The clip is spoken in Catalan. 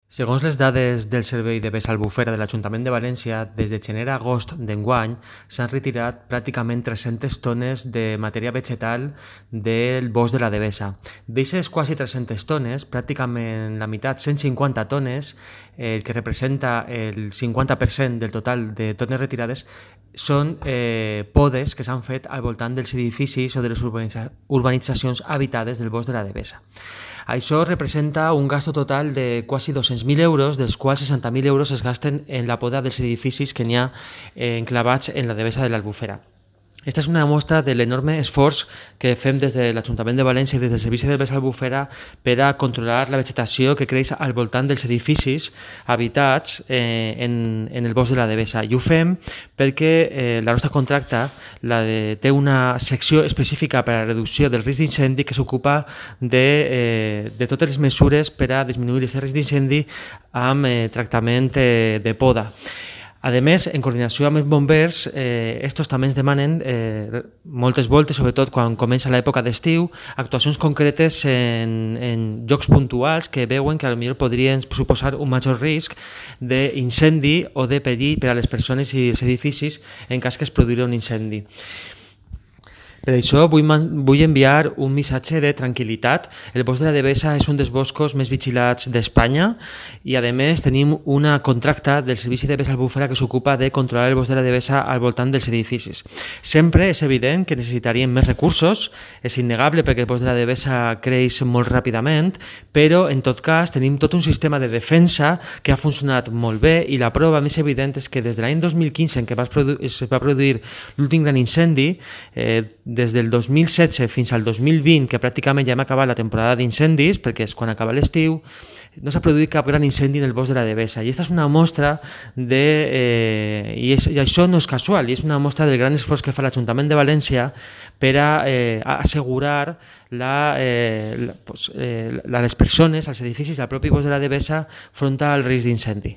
Segons les dades del Servei de Vessa Albufera de l'Ajuntament de València, des de gener a agost d'enguany s'han retirat pràcticament 300 tones de matèria vegetal del bosc de la Devesa. D'aquestes quasi 300 tones, pràcticament la meitat, 150 tones, el que representa el 50% del total de tones retirades, són podes que s'han fet al voltant dels edificis o de les urbanitzacions habitades del bosc de la Devesa. Això representa un gasto total de quasi 200.000 euros, dels quals 60.000 euros es gasten en la poda dels edificis que n'hi ha enclavats en la Devesa de l'Albufera. Aquesta és una mostra de l'enorme esforç que fem des de l'Ajuntament de València i des del Servici de Vessa Albufera per a controlar la vegetació que creix al voltant dels edificis habitats en el bosc de la Devesa. I ho fem perquè la nostra contracta té una secció específica per a la reducció del risc d'incendi que s'ocupa de totes les mesures per a disminuir aquest risc d'incendi amb tractament de poda. A més, en coordinació amb els bombers, estos també ens demanen moltes voltes, sobretot quan comença l'època d'estiu, actuacions concretes en llocs puntuals que veuen que potser podrien suposar un major risc d'incendi o de perill per a les persones i els edificis en cas que es produirà un incendi. Per això vull enviar un missatge de tranquil·litat. El bosc de la Devesa és un dels boscos més vigilats d'Espanya i, a més, tenim una contracta del Servici de Vessa Albufera que s'ocupa de controlar el bosc de la Devesa al voltant dels edificis. Sempre és evident que necessitaríem més recursos, és innegable perquè el bosc de la Devesa creix molt ràpidament, però, en tot cas, tenim tot un sistema de defensa que ha funcionat molt bé i la prova més evident és que des de l'any 2015, en què es va produir l'últim gran incendi, des del 2016 fins al 2020, que pràcticament ja hem acabat la temporada d'incendis, perquè és quan acaba l'estiu, no s'ha produït cap gran incendi en el bosc de la Devesa. I aquesta és una mostra i això no és casual, i és una mostra del gran esforç que fa l'Ajuntament de València per a assegurar les persones, els edificis, al propi bosc de la Devesa front al risc d'incendi.